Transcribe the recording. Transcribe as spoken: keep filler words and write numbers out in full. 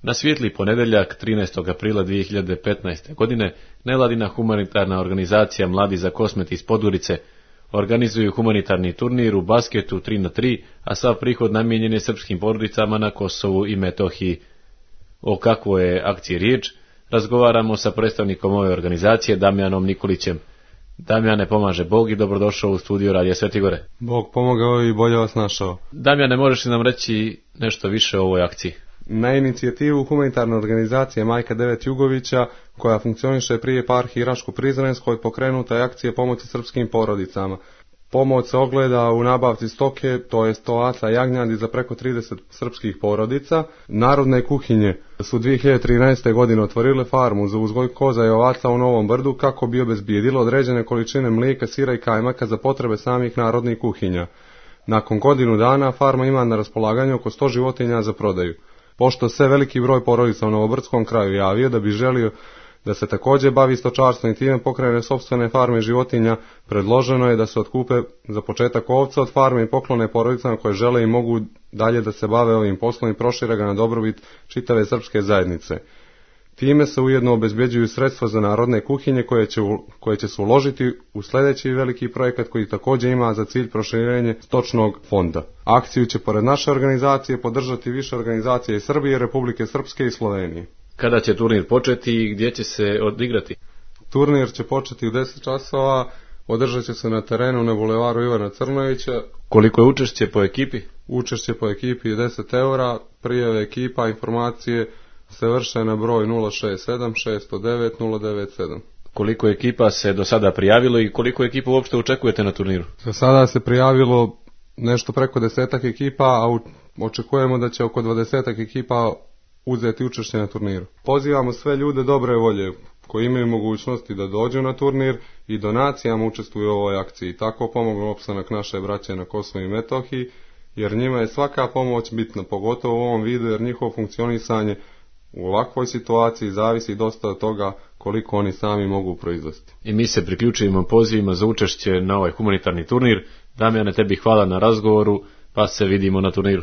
Na svijetli ponedeljak, trinaestog aprila dvije hiljade petnaeste. godine, nevladina humanitarna organizacija Mladi za Kosmet iz Podgorice organizuju humanitarni turnir u basketu tri na tri, a sav prihod namijenjen je srpskim porodicama na Kosovu i Metohiji. O kakvoj je akciji riječ, razgovaramo sa predstavnikom ove organizacije, Damjanom Nikolićem. Damjane, pomaže Bog i dobrodošao u studio Radija Sveti Gore. Bog pomogao i bolje vas našao. Damjane, možeš li nam reći nešto više o ovoj akciji? Na inicijativu humanitarne organizacije Majka Devet Jugovića, koja funkcioniše pri eparhiji Raško-Prizrenskoj, pokrenuta je akcija pomoći srpskim porodicama. Pomoć se ogleda u nabavci stoke, to je ovaca jagnjadi za preko trideset srpskih porodica. Narodne kuhinje su dvije hiljade trinaeste. godine otvorile farmu za uzgoj koza i ovaca u Novom Brdu kako bi obezbijedilo određene količine mlijeka, sira i kajmaka za potrebe samih narodnih kuhinja. Nakon godinu dana farma ima na raspolaganju oko sto životinja za prodaju. Pošto se veliki broj porodica u Novobrdskom kraju javio da bi želio da se također bavi stočarstvom i time pokrene sopstvene farme životinja, predloženo je da se otkupe za početak ovca od farme i poklone porodicama koje žele i mogu dalje da se bave ovim poslom i prošire ga na dobrobit čitave srpske zajednice. Time se ujedno obezbeđuju sredstva za narodne kuhinje koje će, koje će se uložiti u sljedeći veliki projekat koji također ima za cilj proširenje stočnog fonda. Akciju će pored naše organizacije podržati više organizacije iz Srbije, Republike Srpske i Slovenije. Kada će turnir početi i gdje će se odigrati? Turnir će početi u deset časova, održat će se na terenu na bulevaru Ivana Crnovića. Koliko je učešće po ekipi? Učešće po ekipi je deset eura, prijave ekipa, informacije se vrše na broj nula šest sedam šest nula devet nula devet sedam. Koliko ekipa se do sada prijavilo i koliko ekipa uopšte očekujete na turniru? Do sada se prijavilo nešto preko desetak ekipa, a očekujemo da će oko dvadesetak ekipa uzeti učešće na turniru. Pozivamo sve ljude dobre volje koji imaju mogućnosti da dođu na turnir i donacijama učestvuju u ovoj akciji. Tako pomognu opstanak naše braće na Kosovu i Metohiji, jer njima je svaka pomoć bitna, pogotovo u ovom vidu, jer njihovo funkcionisanje u ovakvoj situaciji zavisi dosta od toga koliko oni sami mogu proizvesti. I mi se priključujemo pozivima za učešće na ovaj humanitarni turnir. Damjane, tebi hvala na razgovoru, pa se vidimo na turniru.